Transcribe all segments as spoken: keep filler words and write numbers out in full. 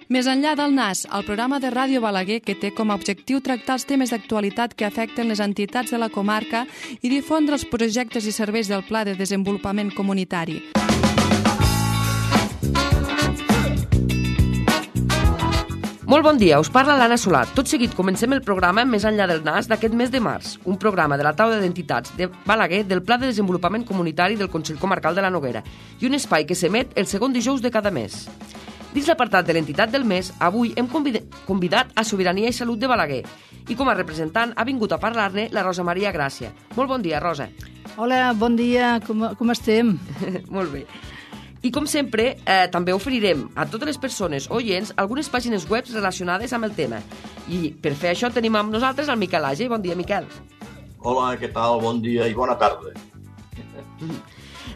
Més enllà del Nas, el programa de Ràdio Balaguer que té com a objectiu tractar els temes d'actualitat que afecten les entitats de la comarca i difondre els projectes i serveis del Pla de Desenvolupament Comunitari. Molt bon dia, us parla l'Anna Solà. Tot seguit comencem el programa Més enllà del Nas d'aquest mes de març, un programa de la taula d'entitats de Balaguer del Pla de Desenvolupament Comunitari del Consell Comarcal de la Noguera i un espai que s'emet el segon dijous de cada mes. Dins l'apartat de l'entitat del mes, avui hem convidat a Sobirania i Salut de Balaguer i com a representant ha vingut a parlar-ne la Rosa Maria Gràcia. Molt bon dia, Rosa. Hola, bon dia, com, com estem? Molt bé. I com sempre, eh, també oferirem a totes les persones oients algunes pàgines web relacionades amb el tema. I per fer això tenim amb nosaltres el Miquel Age. Bon dia, Miquel. Hola, què tal? Bon dia i bona tarda.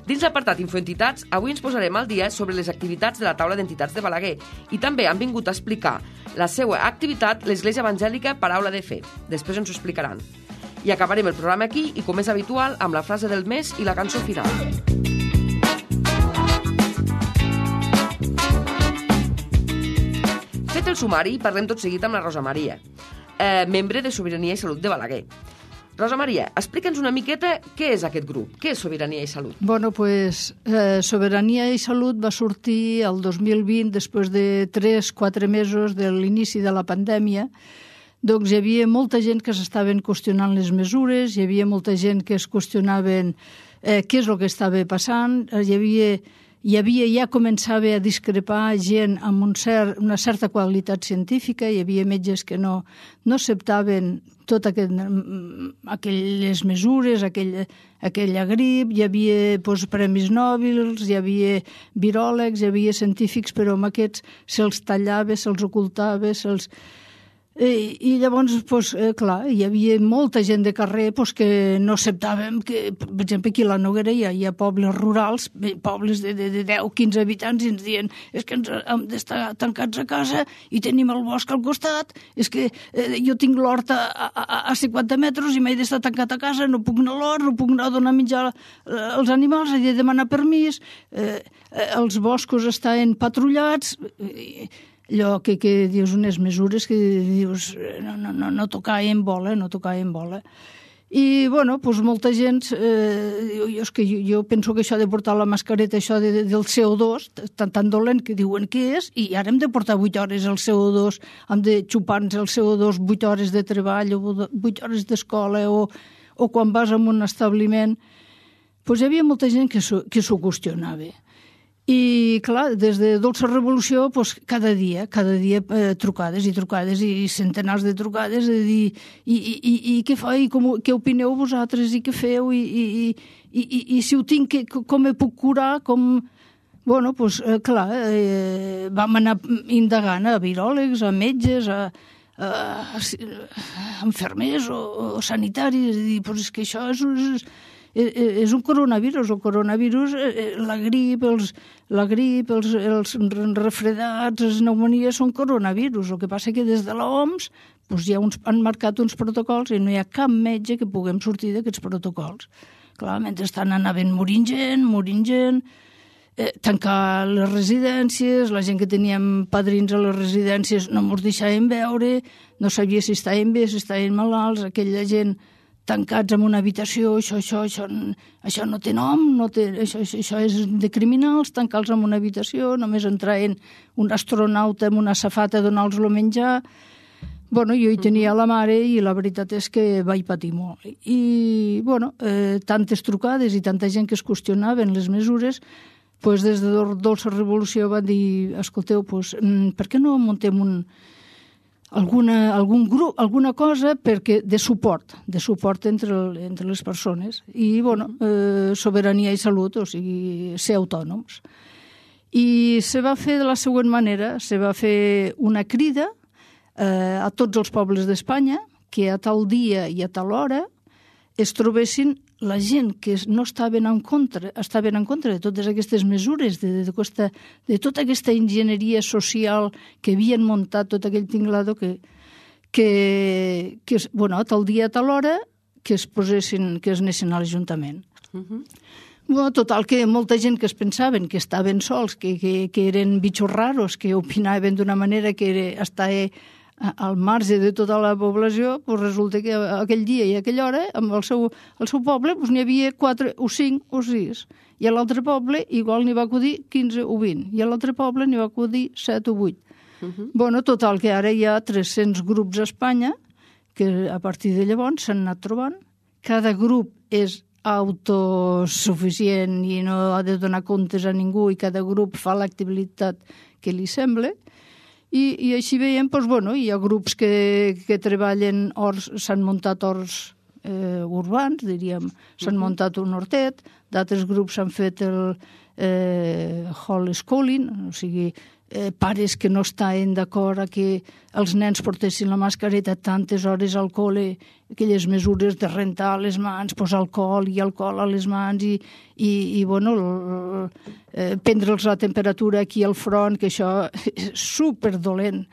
Dins l'apartat Infoentitats, avui ens posarem al dia sobre les activitats de la taula d'entitats de Balaguer i també han vingut a explicar la seva activitat l'Església Evangèlica Paraula de Fe. Després ens ho explicaran. I acabarem el programa aquí i, com és habitual, amb la frase del mes i la cançó final. Fet el sumari, parlem tot seguit amb la Rosa Maria, eh, membre de Sobirania i Salut de Balaguer. Rosa Maria, explica'ns una miqueta què és aquest grup, què és Sobirania i Salut. Bueno, pues eh, Sobirania i Salut va sortir el dos mil vint, després de tres quatre mesos de l'inici de la pandèmia. Doncs hi havia molta gent que s'estaven qüestionant les mesures, hi havia molta gent que es qüestionaven eh, què és el que estava passant, hi havia... Hi havia, ja començava a discrepar gent amb un cert, una certa qualitat científica, hi havia metges que no, no acceptaven totes aquest, aquelles mesures, aquell, aquella grip, hi havia doncs, premis Nobels, hi havia viròlegs, hi havia científics, però amb aquests se'ls tallava, se'ls ocultava, se'ls... I, i llavors, pues, eh, clar, hi havia molta gent de carrer pues, que no acceptàvem que, per exemple, aquí a la Noguera hi ha, hi ha pobles rurals, pobles de, de, de deu o quinze habitants, i ens diuen és que ens hem d'estar tancats a casa i tenim el bosc al costat, és que eh, jo tinc l'hort a, a, a cinquanta metres i m'he d'estar tancat a casa, no puc anar a l'hort, no puc anar a donar menjar als animals, he de demanar permís, eh, eh, els boscos estan patrullats... Eh, allò que, que dius unes mesures que dius no, no, no, no tocar en bola, no tocar en bola. I, bueno, doncs molta gent, eh, jo, és que jo, jo penso que això de portar la mascareta, això de, de, del C O dos, tan, tan dolent que diuen que és, i ara hem de portar vuit hores el C O dos, hem de xupar-nos el C O dos vuit hores de treball o vuit hores d'escola o, o quan vas a un establiment. Doncs hi havia molta gent que s'ho que s'ho qüestionava. I, clar, des de Dolça Revolució, doncs, cada dia, cada dia eh, trucades i trucades i centenars de trucades de dir, i, i, i, i què fa, i com, què opineu vosaltres, i què feu, i, i, i, i, i si ho tinc, que, com me puc curar, com... Bueno, doncs, eh, clar, eh, vam anar indagant a viròlegs, a metges, a, a, a infermers o, o sanitaris, i dir, doncs és que això és... és és un coronavirus, el coronavirus, la grip, els, la grip, els, els refredats, les pneumonies són coronavirus. El que passa que des de l'O M S doncs ja uns, han marcat uns protocols i no hi ha cap metge que puguem sortir d'aquests protocols. Clar, mentrestant anaven morint gent, morint gent, eh, tancar les residències, la gent que teníem padrins a les residències no ens deixaven veure, no sabia si estaven bé, si estaven malalts, aquella gent... tancats en una habitació, això, això, això, això no té nom, no té, això, això, això és de criminals, tancar-los en una habitació, només entraven un astronauta amb una safata a donar-los el menjar. Bueno, jo hi tenia la mare i la veritat és que vaig patir molt. I, bueno, eh, tantes trucades i tanta gent que es qüestionaven les mesures, pues des de Dolça Revolució van dir, escolteu, pues, per què no muntem un... Alguna, algun grup, alguna cosa perquè de suport, de suport entre, entre les persones. I, bueno, eh, Sobirania i Salut, o sigui, ser autònoms. I se va fer de la següent manera, se va fer una crida eh, a tots els pobles d'Espanya que a tal dia i a tal hora es trobessin la gent que no estaven en contra, estaven en contra de totes aquestes mesures, de, de, de, de tota aquesta enginyeria social que havien muntat, tot aquell tinglado que, que, que bueno, a tal dia, a tal hora, que es posessin, que es anessin a l'Ajuntament. Uh-huh. Bueno, total, que molta gent que es pensaven que estaven sols, que, que, que eren bitxos raros, que opinaven d'una manera que era, estava al marge de tota la població, doncs resulta que aquell dia i aquella hora, amb el seu, el seu poble, doncs n'hi havia quatre o cinc o sis. I a l'altre poble igual n'hi va acudir quinze o vint. I a l'altre poble n'hi va acudir set o vuit. Uh -huh. Bueno, total, que ara hi ha tres-cents grups a Espanya que a partir de llavors s'han anat trobant. Cada grup és autosuficient i no ha de donar comptes a ningú i cada grup fa l'activitat que li sembla. I, i així veiem, doncs, bueno, hi ha grups que, que treballen horts, s'han muntat horts eh, urbans, diríem, s'han uh -huh. muntat un hortet, d'altres grups s'han fet el eh, homeschooling, o sigui, eh, pares que no estaven d'acord a que els nens portessin la mascareta tantes hores al col·le, aquelles mesures de rentar les mans, posar alcohol i alcohol a les mans i, i, i bueno, eh, prendre'ls la temperatura aquí al front, que això és superdolent.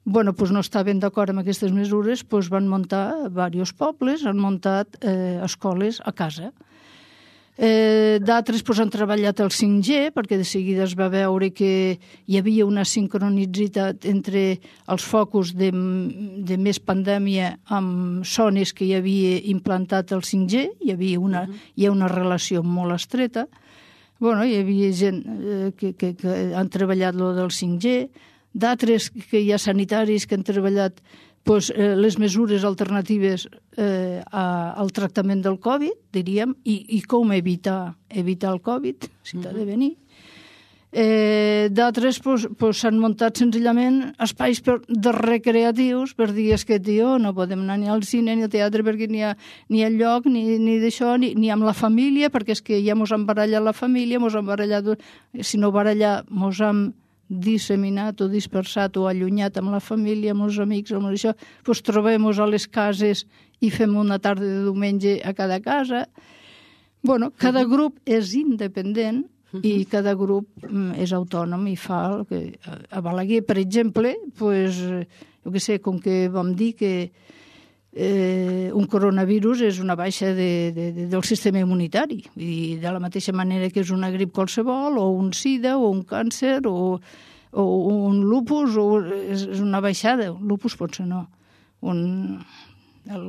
Bueno, doncs no estaven d'acord amb aquestes mesures, doncs van muntar diversos pobles, han muntat eh, escoles a casa. Eh, d'altres doncs, han treballat el cinc G, perquè de seguida es va veure que hi havia una sincronicitat entre els focus de, de més pandèmia amb zones que hi havia implantat el cinc G, hi havia una, uh-huh. hi ha una relació molt estreta. Bueno, hi havia gent eh, que, que, que han treballat lo del cinc G, d'altres que hi ha sanitaris que han treballat pues, eh, les mesures alternatives eh, a, al tractament del Covid, diríem, i, i com evitar, evitar el Covid, si t'ha de venir. Eh, d'altres pues, pues, s'han muntat senzillament espais per, de recreatius per dir és que, tio, no podem anar ni al cine ni al teatre perquè ni hi ha, ni ha lloc ni, ni d'això, ni, ni amb la família, perquè és que ja mos han barallat la família, mos han barallat, si no barallar, mos han disseminat o dispersat o allunyat amb la família, amb els amics, amb això, doncs trobem-nos a les cases i fem una tarda de diumenge a cada casa. Bueno, cada grup és independent i cada grup és autònom i fa el que... A Balaguer, per exemple, pues, jo què sé, com que vam dir que eh, un coronavirus és una baixa de, de, de, del sistema immunitari, i de la mateixa manera que és una grip qualsevol, o un sida, o un càncer, o, o un lupus, o és, és una baixada. Un lupus potser no. Un... El,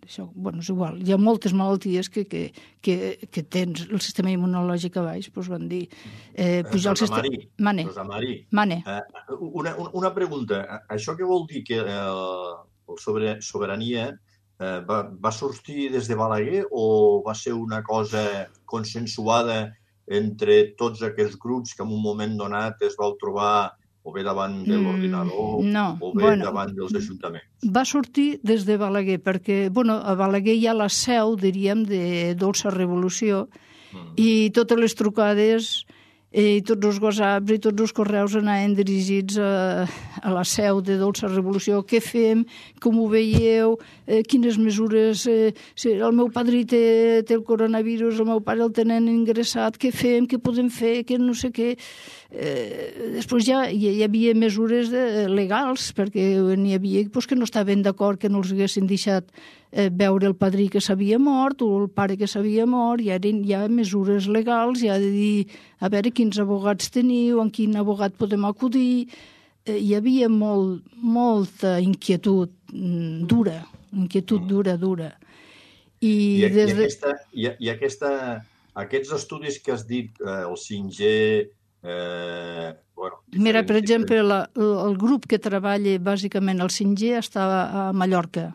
això, bueno, és igual. Hi ha moltes malalties que, que, que, que tens el sistema immunològic a baix, doncs van dir... Eh, pujar el sistema... Mari, Mane. Mari, Mane. Eh, una, una pregunta. Això què vol dir que eh, el sobre, Sobirania eh, va, va sortir des de Balaguer o va ser una cosa consensuada entre tots aquests grups que en un moment donat es vau trobar o bé davant de l'ordinador mm, no, o bé bueno, davant dels ajuntaments? Va sortir des de Balaguer, perquè bueno, a Balaguer hi ha la seu, diríem, de Dolça Revolució, mm. i totes les trucades i tots els whatsapps i tots els correus anaven dirigits a, a la seu de Dolça Revolució. Què fem? Com ho veieu? Eh, quines mesures? Eh, si el meu padrí té, té el coronavirus, el meu pare el tenen ingressat, què fem? Què podem fer? Què no sé què? Eh, després ja hi, hi havia mesures de, legals, perquè n'hi havia pues, que no estaven d'acord que no els haguessin deixat eh, veure el padrí que s'havia mort o el pare que s'havia mort. Hi ha, hi ha mesures legals, hi ha de dir a veure quins abogats teniu, en quin abogat podem acudir. Eh, hi havia molt, molta inquietud mm, dura, inquietud dura, dura. I, I, des i, de... aquesta, i, i aquesta, aquests estudis que has dit, eh, el cinc G... Eh, bueno, Mira, per exemple, la, el grup que treballa bàsicament el cinc G estava a Mallorca.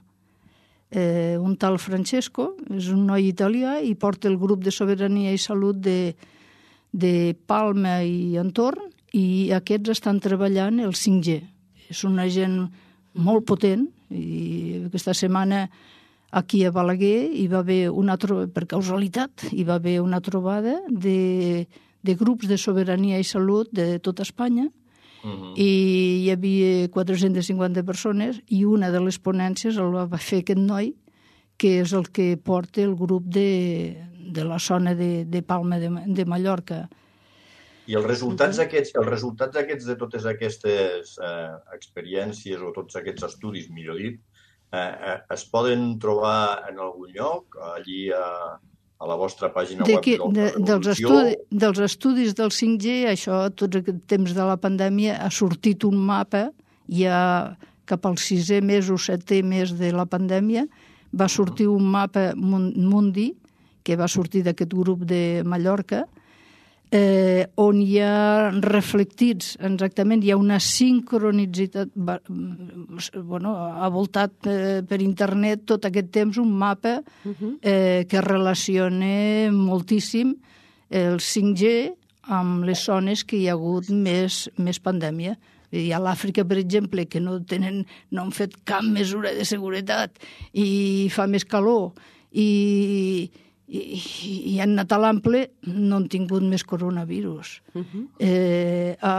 Eh, un tal Francesco, és un noi italià i porta el grup de Sobirania i Salut de, de Palma i entorn, i aquests estan treballant el cinc G. És una gent molt potent, i aquesta setmana aquí a Balaguer hi va haver una trobada, per causalitat, hi va haver una trobada de, de grups de Sobirania i Salut de tota Espanya, uh-huh. i hi havia quatre-centes cinquanta persones i una de les ponències el va fer aquest noi, que és el que porta el grup de, de la zona de, de Palma de, de Mallorca. I els resultats aquests, els resultats aquests de totes aquestes eh, experiències o tots aquests estudis, millor dit, eh, eh, es poden trobar en algun lloc, allí a, a la vostra pàgina de web qui, de, de, de dels, estudi, dels estudis del cinc G, això, tots aquest temps de la pandèmia, ha sortit un mapa, ja cap als sisè mes o setè mes de la pandèmia, va sortir un mapa mundi, que va sortir d'aquest grup de Mallorca, eh, on hi ha reflectits, exactament, hi ha una sincronicitat, bueno, ha voltat eh, per internet tot aquest temps un mapa eh, que relaciona moltíssim el cinc G amb les zones que hi ha hagut més, més pandèmia. Hi ha l'Àfrica, per exemple, que no tenen, no han fet cap mesura de seguretat i fa més calor i, i, i han anat a l'ample, no han tingut més coronavirus. Uh-huh. Eh, a,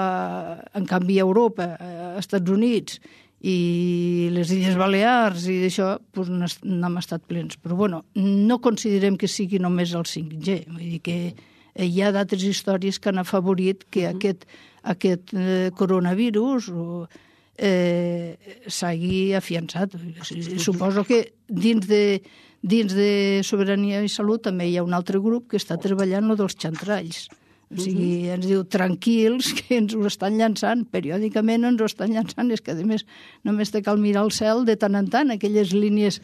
en canvi, a Europa, als Estats Units i les Illes Balears i d'això, doncs n'hem estat plens. Però, bueno, no considerem que sigui només el cinc G. Vull dir que hi ha d'altres històries que han afavorit que uh-huh. aquest aquest eh, coronavirus eh, s'hagi afiançat. Suposo que dins de, dins de Sobirania i Salut també hi ha un altre grup que està treballant lo dels xantralls. O sigui, ens diu, tranquils, que ens ho estan llançant, periòdicament ens ho estan llançant, és que a més només te cal mirar el cel de tant en tant, aquelles línies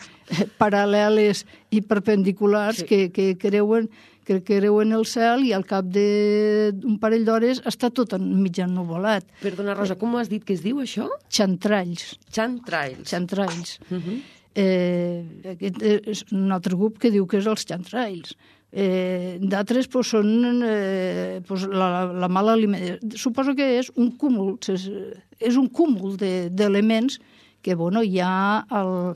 paral·leles i perpendiculars sí. que, que creuen que creuen el cel i al cap d'un parell d'hores està tot mig ennuvolat. Perdona, Rosa, com has dit que es diu això? Xantralls. Xantralls. Xantralls. Uh-huh. eh, aquest és un altre grup que diu que és els xantralls. Eh, d'altres pues, són eh, pues, la, la mala alimentació. Suposo que és un cúmul, és, és un cúmul d'elements que bueno, hi ha al,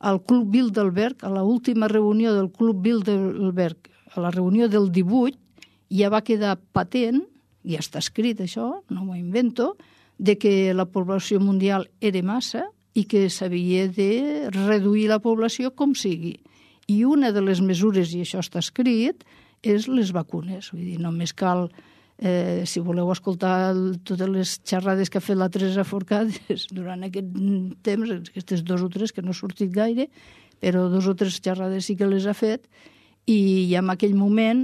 al Club Bilderberg, a l'última reunió del Club Bilderberg, a la reunió del divuit, ja va quedar patent, ja està escrit això, no m'ho invento, de que la població mundial era massa i que s'havia de reduir la població com sigui. I una de les mesures, i això està escrit, és les vacunes. Vull dir, només cal, eh, si voleu escoltar totes les xerrades que ha fet la Teresa Forcades durant aquest temps, aquestes dos o tres que no ha sortit gaire, però dos o tres xerrades sí que les ha fet, i en aquell moment,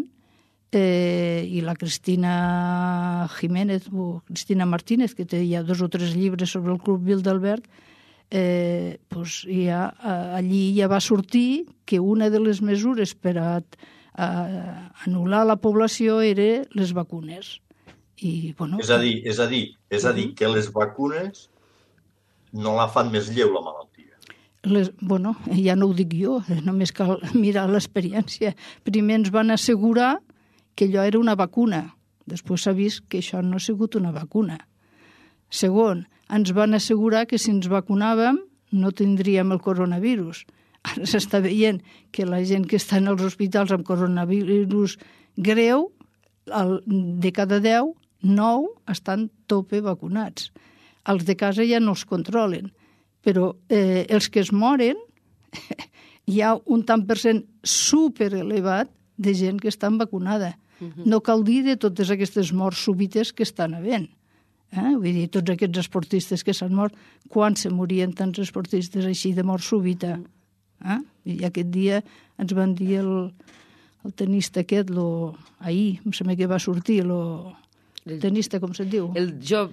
eh, i la Cristina Jiménez, o Cristina Martínez, que té ja dos o tres llibres sobre el Club Bilderberg, eh, pues ja, allí ja va sortir que una de les mesures per a, a anul·lar la població era les vacunes. I, bueno, és a dir, és a dir, és a dir que les vacunes no la fan més lleu, la malaltia. Les, bueno, ja no ho dic jo, només cal mirar l'experiència. Primer ens van assegurar que allò era una vacuna. Després s'ha vist que això no ha sigut una vacuna. Segon, ens van assegurar que si ens vacunàvem no tindríem el coronavirus. Ara s'està veient que la gent que està en els hospitals amb coronavirus greu, de cada deu, nou estan tope vacunats. Els de casa ja no els controlen. Però eh, els que es moren, hi ha un tant per cent superelevat de gent que està vacunada. Uh-huh. No cal dir de totes aquestes morts súbites que estan havent. Eh? Vull dir, tots aquests esportistes que s'han mort, quan se morien tants esportistes així de mort súbita? Eh? I aquest dia ens van dir el, el tenista aquest, lo, ahir, em sembla que va sortir, lo, el tenista, com se'n diu? El jo...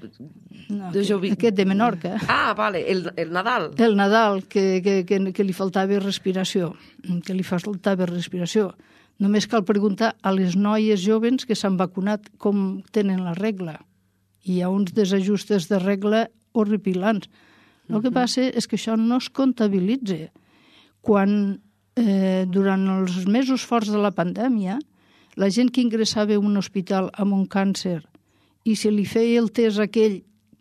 No, de jo... Aquest de Menorca. Ah, vale, el, el Nadal. El Nadal, que, que, que, que li faltava respiració, que li faltava respiració. Només cal preguntar a les noies jovens que s'han vacunat com tenen la regla. Hi ha uns desajustes de regla horripilants. El que passa és que això no es comptabilitza. Quan, eh, durant els mesos forts de la pandèmia, la gent que ingressava en un hospital amb un càncer i se li feia el test aquell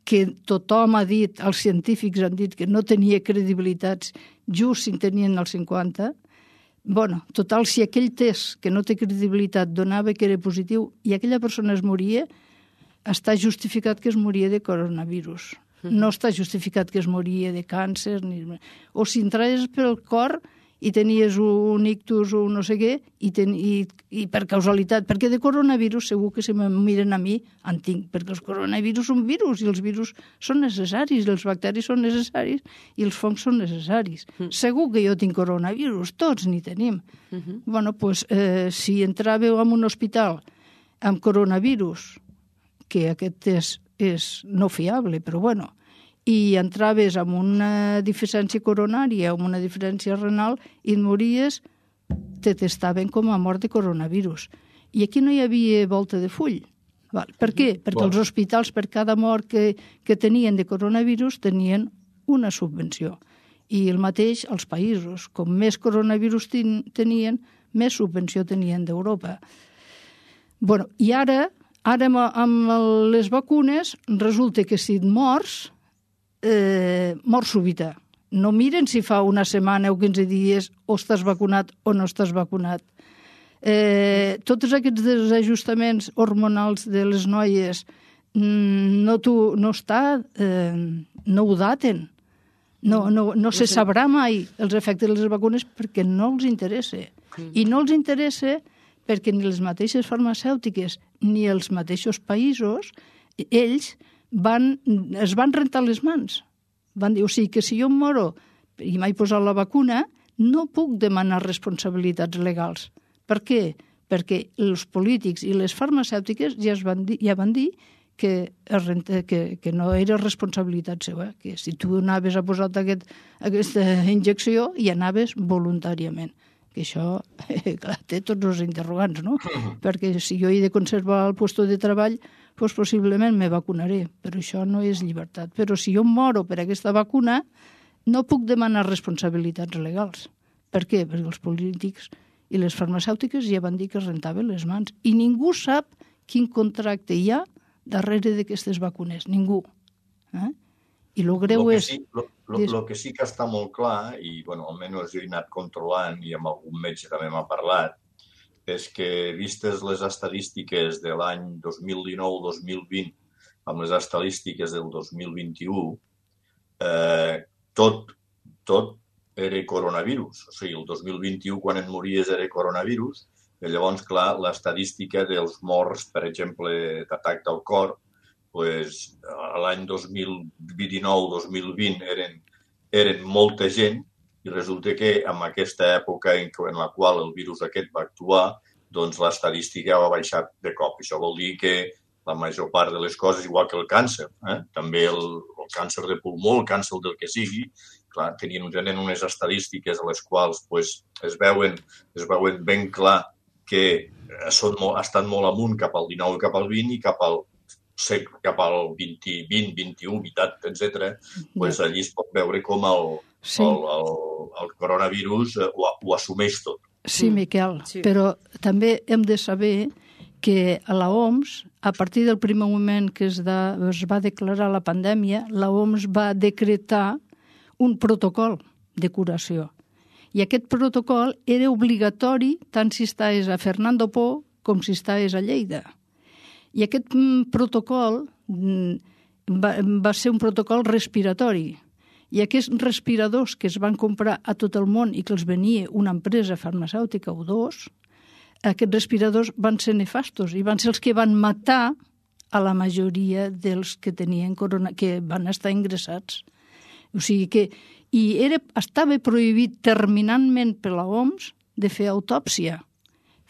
que tothom ha dit, els científics han dit que no tenia credibilitats, just si en tenien el cinquanta, bueno, total, si aquell test que no té credibilitat donava que era positiu i aquella persona es moria, està justificat que es moria de coronavirus. No està justificat que es moria de càncer. Ni... O si entraves pel cor i tenies un ictus o no sé què, i, ten, i, i per causalitat, perquè de coronavirus segur que si me miren a mi en tinc, perquè els coronavirus són virus i els virus són necessaris, els bacteris són necessaris i els fongs són necessaris. Mm. Segur que jo tinc coronavirus, tots n'hi tenim. Mm-hmm. Bueno, doncs, eh, si entràveu en un hospital amb coronavirus, que aquest és, és no fiable, però bueno, i entraves amb una deficiència coronària o amb una deficiència renal i et mories, te testaven com a mort de coronavirus. I aquí no hi havia volta de full. Val. Per què? Perquè els hospitals, per cada mort que, que tenien de coronavirus, tenien una subvenció. I el mateix als països. Com més coronavirus ten, tenien, més subvenció tenien d'Europa. Bueno, i ara, ara amb, amb les vacunes, resulta que si et mors, Eh, mort súbita. No miren si fa una setmana o quinze dies o estàs vacunat o no estàs vacunat. Eh, tots aquests desajustaments hormonals de les noies no, tu, no està, eh, no ho daten. No, no, no se sabrà mai els efectes de les vacunes perquè no els interessa. I no els interessa perquè ni les mateixes farmacèutiques ni els mateixos països, ells Van, es van rentar les mans. Van dir, o sigui, que si jo em moro i m'he posat la vacuna, no puc demanar responsabilitats legals. Per què? Perquè els polítics i les farmacèutiques ja, es van, dir, ja van dir que, es renta, que, que no era responsabilitat seva, que si tu anaves a posar aquest, aquesta injecció i anaves voluntàriament. Que això, eh, clar, té tots els interrogants, no? Perquè si jo he de conservar el lloc de treball, doncs possiblement me vacunaré, però això no és llibertat. Però si jo moro per aquesta vacuna, no puc demanar responsabilitats legals. Per què? Perquè els polítics i les farmacèutiques ja van dir que es rentaven les mans. I ningú sap quin contracte hi ha darrere d'aquestes vacunes. Ningú. Eh? I el greu lo és... Sí, lo, lo, lo que sí que està molt clar, i bueno, almenys jo he anat controlant i amb algun metge també m'ha parlat, és que, vistes les estadístiques de l'any dos mil dinou dos mil vint amb les estadístiques del dos mil vint-i-u, eh, tot, tot era coronavirus. O sigui, el dos mil vint-i-u, quan et mories, era coronavirus. I llavors, clar, l'estadística dels morts, per exemple, d'atac del cor, pues, l'any dos mil dinou dos mil vint eren, eren molta gent, i resulta que en aquesta època en, en la qual el virus aquest va actuar, doncs l'estadística va baixar de cop. Això vol dir que la major part de les coses, igual que el càncer, eh? també el, el càncer de pulmó, el càncer del que sigui, clar, tenien, tenen unes estadístiques a les quals pues, es, veuen, es veuen ben clar que són molt, estan molt amunt cap al dinou i cap al vint i cap al cap al vint, vint, vint-i-u, vint, etcètera, pues allí es pot veure com el, sí. el, el, el coronavirus ho, ho assumeix tot. Sí, Miquel, sí. Però també hem de saber que a la O M S, a partir del primer moment que es, da, es va declarar la pandèmia, la O M S va decretar un protocol de curació. I aquest protocol era obligatori tant si estaves a Fernando Po com si estaves a Lleida. I aquest protocol va, va ser un protocol respiratori. I aquests respiradors que es van comprar a tot el món i que els venia una empresa farmacèutica o dos, aquests respiradors van ser nefastos i van ser els que van matar a la majoria dels que tenien corona, que van estar ingressats. O sigui que i era, estava prohibit terminantment per la O M S de fer autòpsia,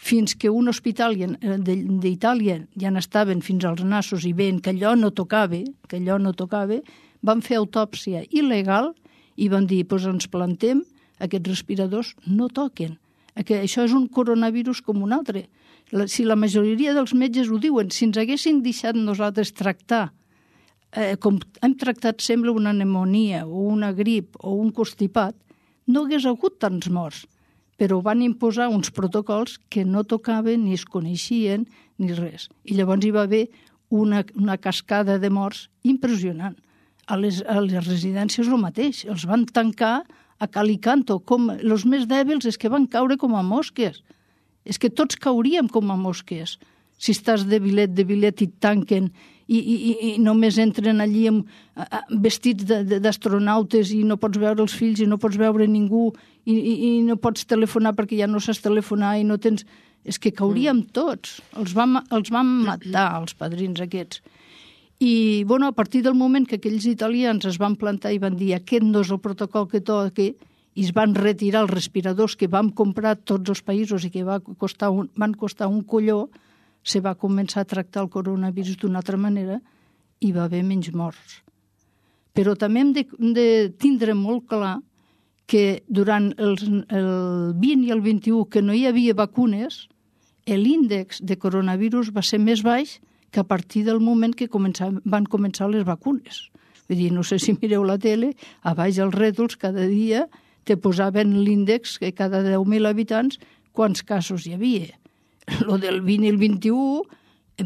fins que un hospital d'Itàlia ja n'estaven fins als nassos i veien que allò no tocava, que allò no tocava, van fer autòpsia il·legal i van dir, doncs ens plantem, aquests respiradors no toquen. Això és un coronavirus com un altre. Si la majoria dels metges ho diuen, si ens haguessin deixat nosaltres tractar, eh, com hem tractat sembla una pneumonia o una grip o un constipat, no hagués hagut tants morts. Però van imposar uns protocols que no tocaven ni es coneixien ni res. I llavors hi va haver una, una cascada de morts impressionant. A les, a les residències el mateix. Els van tancar a cal i canto. Com, els més dèbils és que van caure com a mosques. És que tots cauríem com a mosques. Si estàs de bilet, de bilet i et tanquen i, i, i només entren allí amb, vestits d'astronautes i no pots veure els fills i no pots veure ningú i, i, i no pots telefonar perquè ja no saps telefonar i no tens... És que cauríem tots. Els vam, els vam matar, els padrins aquests. I, bueno, a partir del moment que aquells italians es van plantar i van dir aquest no és el protocol que toca, i es van retirar els respiradors que vam comprar tots els països i que va costar un, van costar un colló, se va començar a tractar el coronavirus d'una altra manera i va haver menys morts. Però també hem de, de tindre molt clar que durant els, el vint i el vint-i-u, que no hi havia vacunes, l'índex de coronavirus va ser més baix que a partir del moment que començar, van començar les vacunes. Vull dir, no sé si mireu la tele, a baix els rètols cada dia te posaven l'índex que cada deu mil habitants quants casos hi havia. Lo del vint i el vint-i-u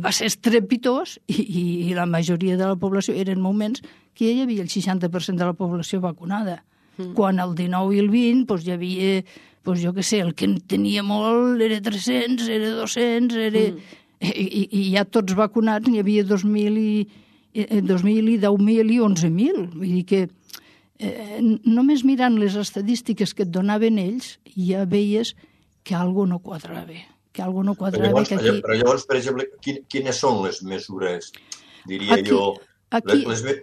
va ser estrepitós i, i, i la majoria de la població eren moments que hi havia el seixanta per cent de la població vacunada. Mm. Quan el dinou i el vint doncs, hi havia, doncs, jo què sé, el que en tenia molt era tres-cents, era dos-cents, era... Mm. I, i, i ja tots vacunats n'hi havia dos mil i, dos mil i deu mil i onze mil. Vull dir que eh, només mirant les estadístiques que et donaven ells ja veies que alguna no quadrava. Que alguna no quadrava. Però llavors, que aquí... però llavors, per exemple, quines són les mesures, diria aquí, jo... Aquí, les, les...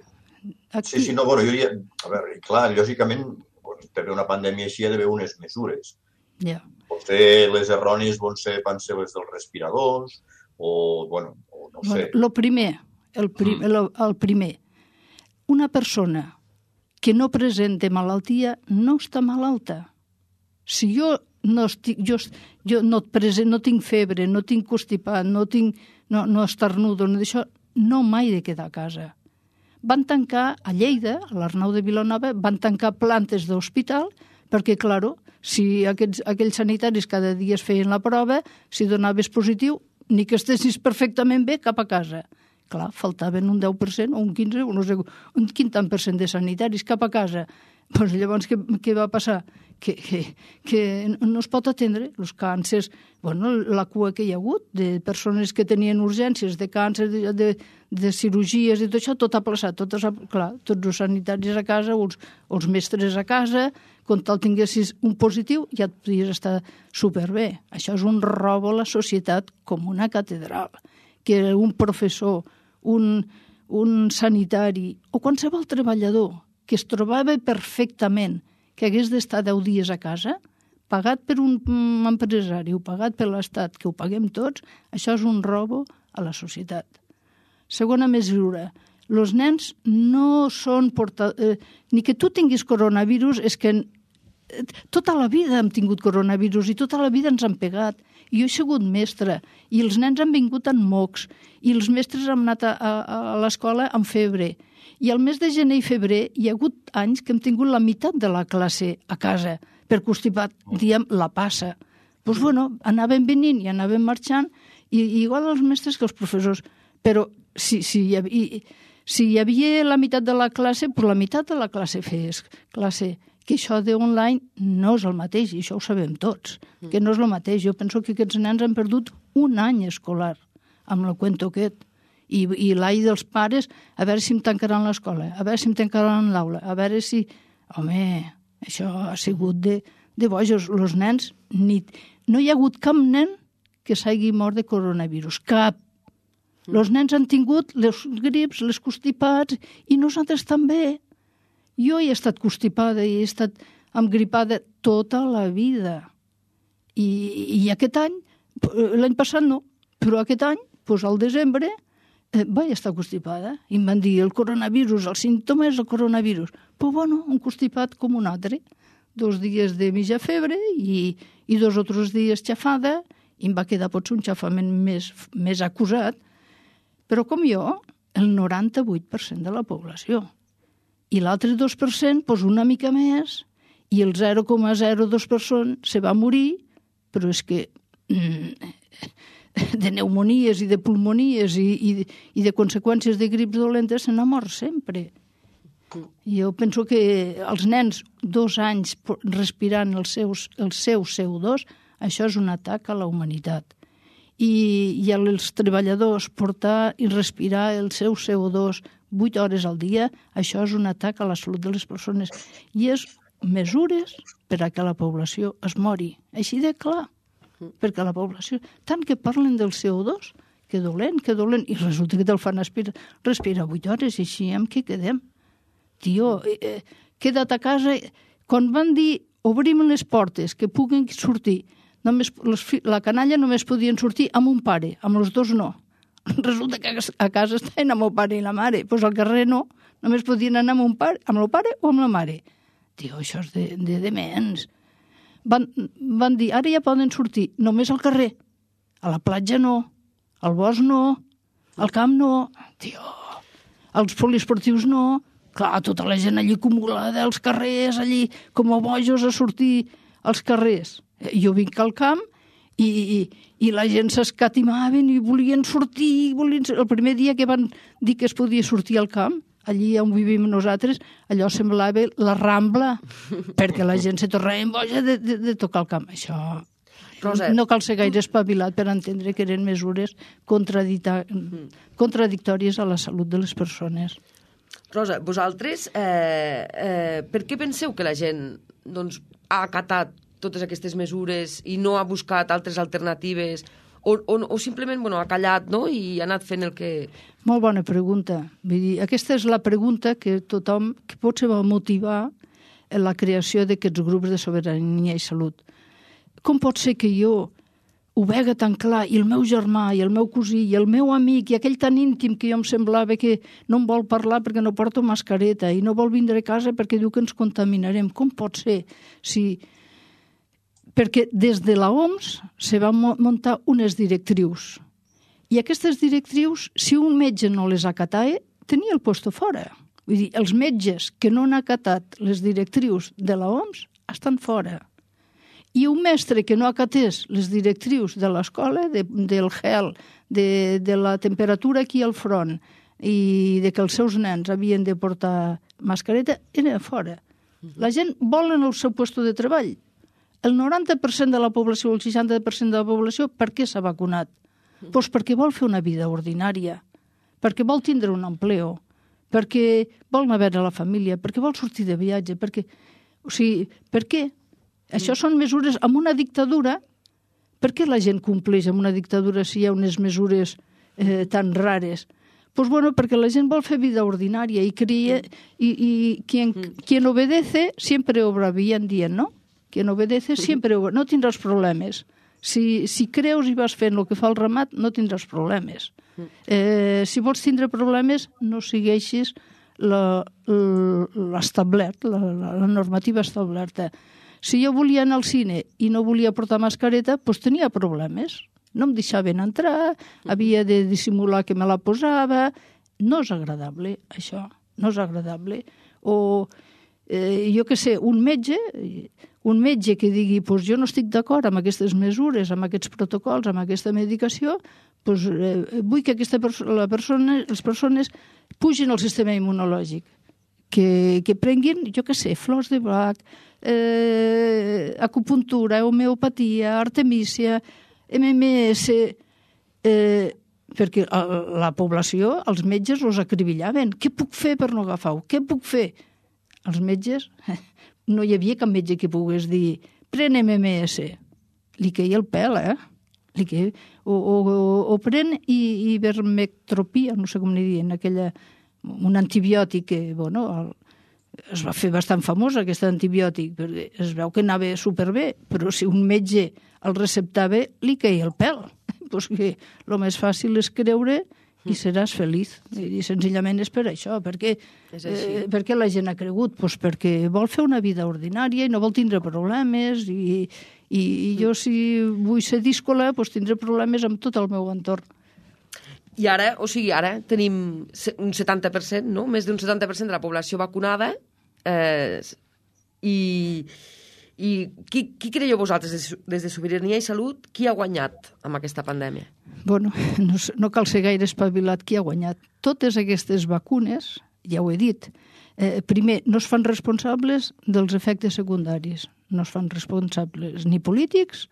aquí. Sí, sí, no, bueno, jo diria... A veure, clar, lògicament, quan té una pandèmia així hi ha d'haver unes mesures. Ja. Potser les errònies van ser, van ser les dels respiradors, o, bueno, o no sé. Bueno, lo primer, el, prim, mm. el, el primer, una persona que no presenta malaltia no està malalta. Si jo no estic, jo, jo no, present, no tinc febre, no tinc constipat, no tinc, no, no estornudo, no d'això, no mai de quedar a casa. Van tancar a Lleida, a l'Arnau de Vilanova, van tancar plantes d'hospital perquè, claro, si aquests, aquells sanitaris cada dia es feien la prova, si donaves positiu, ni que estessis perfectament bé cap a casa. Clar, faltaven un deu per cent o un quinze per cent, no sé, un quin tant per cent de sanitaris cap a casa. Pues llavors, què, què va passar? Que, que, que no es pot atendre els càncers, bueno, la cua que hi ha hagut de persones que tenien urgències de càncer, de, de, de cirurgies i tot això, tot ha plaçat, tot ha, clar, tots els sanitaris a casa, els, els mestres a casa, quan tal tinguessis un positiu ja et podies estar superbé. Això és un robo a la societat com una catedral, que un professor, un, un sanitari o qualsevol treballador que es trobava perfectament que hagués d'estar deu dies a casa, pagat per un empresari o pagat per l'Estat, que ho paguem tots, això és un robo a la societat. Segona mesura, els nens no són portadors... Eh, ni que tu tinguis coronavirus, és que eh, tota la vida hem tingut coronavirus i tota la vida ens han pegat. I jo he sigut mestra i els nens han vingut amb mocs i els mestres han anat a, a, a l'escola amb febre. I al mes de gener i febrer hi ha hagut anys que hem tingut la meitat de la classe a casa per constipat, diem, la passa. Doncs, pues, bueno, anaven venint i anaven marxant, i, i igual els mestres que els professors. Però si, si, hi havia, si hi havia la meitat de la classe, pues la meitat de la classe fes classe. Que això d'online no és el mateix, i això ho sabem tots, que no és el mateix. Jo penso que aquests nens han perdut un any escolar amb el cuento aquest. I, i l'any dels pares, a veure si em tancaran l'escola, a veure si em tancaran l'aula, a veure si... Home, això ha sigut de, de bojos. Els nens, ni... no hi ha hagut cap nen que s'hagi mort de coronavirus, cap. Els nens han tingut les grips, les constipats, i nosaltres també. Jo he estat constipada i he estat engripada tota la vida. I, i aquest any, l'any passat no, però aquest any, doncs al desembre, eh, vaig estar constipada. I em van dir el coronavirus, el símptoma és el coronavirus. Però bueno, un constipat com un altre. Dos dies de mitja febre i, i dos o tres dies xafada, i em va quedar potser un xafament més, més acusat. Però com jo, el noranta-vuit per cent de la població. I l'altre dos per cent, doncs una mica més, i el zero coma zero dos per cent se va morir, però és que mm, de pneumonies i de pulmonies i, i, i de conseqüències de grips dolentes se n'ha mort sempre. Jo penso que els nens dos anys respirant els seus, el seu C O dos, això és un atac a la humanitat. i, i als treballadors portar i respirar el seu C O dos vuit hores al dia, això és un atac a la salut de les persones. I és mesures per a que la població es mori. Així de clar. Perquè la població, tant que parlen del C O dos, que dolent, que dolent, i resulta que te'l fan respirar, respira vuit hores, i així amb què quedem? Tio, eh, queda't a casa. Quan van dir obrim les portes, que puguen sortir, només, les, la canalla només podien sortir amb un pare, amb els dos no. Resulta que a casa estaven amb el pare i la mare, doncs al carrer no, només podien anar amb un pare, amb el pare o amb la mare. Tio, això és de, de dements. Van, van dir, ara ja poden sortir només al carrer, a la platja no, al bosc no, al camp no, tio, als poliesportius no. Clar, tota la gent allí acumulada als carrers, allí com a bojos a sortir als carrers. Jo vinc al camp i, i, i la gent s'escatimaven i volien sortir. Volien... El primer dia que van dir que es podia sortir al camp, allí on vivim nosaltres, allò semblava la Rambla, perquè la gent se tornava boja de, de, de tocar el camp. Això Rosa, no cal ser gaire espavilat per entendre que eren mesures contradictòries a la salut de les persones. Rosa, vosaltres, eh, eh, per què penseu que la gent doncs, ha acatat totes aquestes mesures i no ha buscat altres alternatives o, o, o simplement bueno, ha callat, no?, i ha anat fent el que... Molt bona pregunta. Vull dir, aquesta és la pregunta que tothom, que potser va motivar la creació d'aquests grups de sobirania i salut. Com pot ser que jo ho vega tan clar, i el meu germà, i el meu cosí, i el meu amic, i aquell tan íntim que jo em semblava que no em vol parlar perquè no porto mascareta, i no vol vindre a casa perquè diu que ens contaminarem. Com pot ser? Si... Perquè des de la O M S se van muntar unes directrius. I aquestes directrius, si un metge no les acatava, tenia el puesto fora. Vull dir, els metges que no han acatat les directrius de la O M S estan fora. I un mestre que no acatés les directrius de l'escola, de, del gel, de, de la temperatura aquí al front i de que els seus nens havien de portar mascareta, era fora. La gent vol en el seu lloc de treball. El noranta per cent de la població, el seixanta per cent de la població, per què s'ha vacunat? Doncs perquè vol fer una vida ordinària, perquè vol tindre un empleo, perquè vol anar a veure la família, perquè vol sortir de viatge, perquè... O sigui, per què? Això són mesures amb una dictadura. Per què la gent compleix amb una dictadura si hi ha unes mesures eh, tan rares? Pues bueno, perquè la gent vol fer vida ordinària i creia... I, i quien, quien obedece siempre obra bien, dient, no? Quien obedece siempre obra... No tindràs problemes. Si, si creus i vas fent el que fa el ramat, no tindràs problemes. Eh, si vols tindre problemes, no segueixis l'establert, la, la, la normativa establerta. Si jo volia anar al cine i no volia portar mascareta, doncs tenia problemes. No em deixaven entrar, havia de dissimular que me la posava. No és agradable, això. No és agradable. O, eh, jo què sé, un metge... Un metge que digui, doncs jo no estic d'acord amb aquestes mesures, amb aquests protocols, amb aquesta medicació, doncs eh, vull que aquesta perso la persona, les persones pugin al sistema immunològic, que, que prenguin, jo què sé, flors de Bach, eh, acupuntura, homeopatia, artemísia, M M S, eh, perquè la població, els metges els acribillaven. Què puc fer per no agafar-ho? Què puc fer? Els metges... No hi havia cap metge que pogués dir pren M M S. Li queia el pèl, eh? Li queia... O, o, o pren ivermectropia, no sé com n'hi diuen, aquella... un antibiòtic que, bueno, el... es va fer bastant famós aquest antibiòtic, perquè es veu que anava superbé, però si un metge el receptava, li queia el pèl. Pues que el més fàcil és creure i seràs feliç. I senzillament és per això. Per què, eh, per què la gent ha cregut? Pues perquè vol fer una vida ordinària i no vol tindre problemes i, i, i jo si vull ser díscola pues tindré problemes amb tot el meu entorn. I ara, o sigui, ara tenim un setanta per cent, no? Més d'un setanta per cent de la població vacunada eh, i... I qui, qui creieu vosaltres, des de Sobirania i Salut, qui ha guanyat amb aquesta pandèmia? Bueno, no, no cal ser gaire espavilat qui ha guanyat. Totes aquestes vacunes, ja ho he dit, eh, primer, no es fan responsables dels efectes secundaris. No es fan responsables ni polítics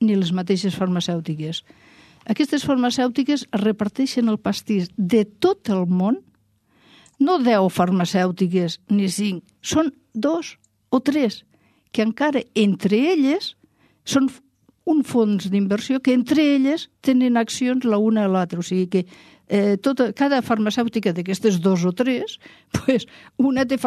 ni les mateixes farmacèutiques. Aquestes farmacèutiques reparteixen el pastís de tot el món, no deu farmacèutiques ni cinc, són dos o tres, que encara entre elles són un fons d'inversió que entre elles tenen accions la una a l'altra. O sigui que eh, tota, cada farmacèutica d'aquestes dos o tres, pues, una té,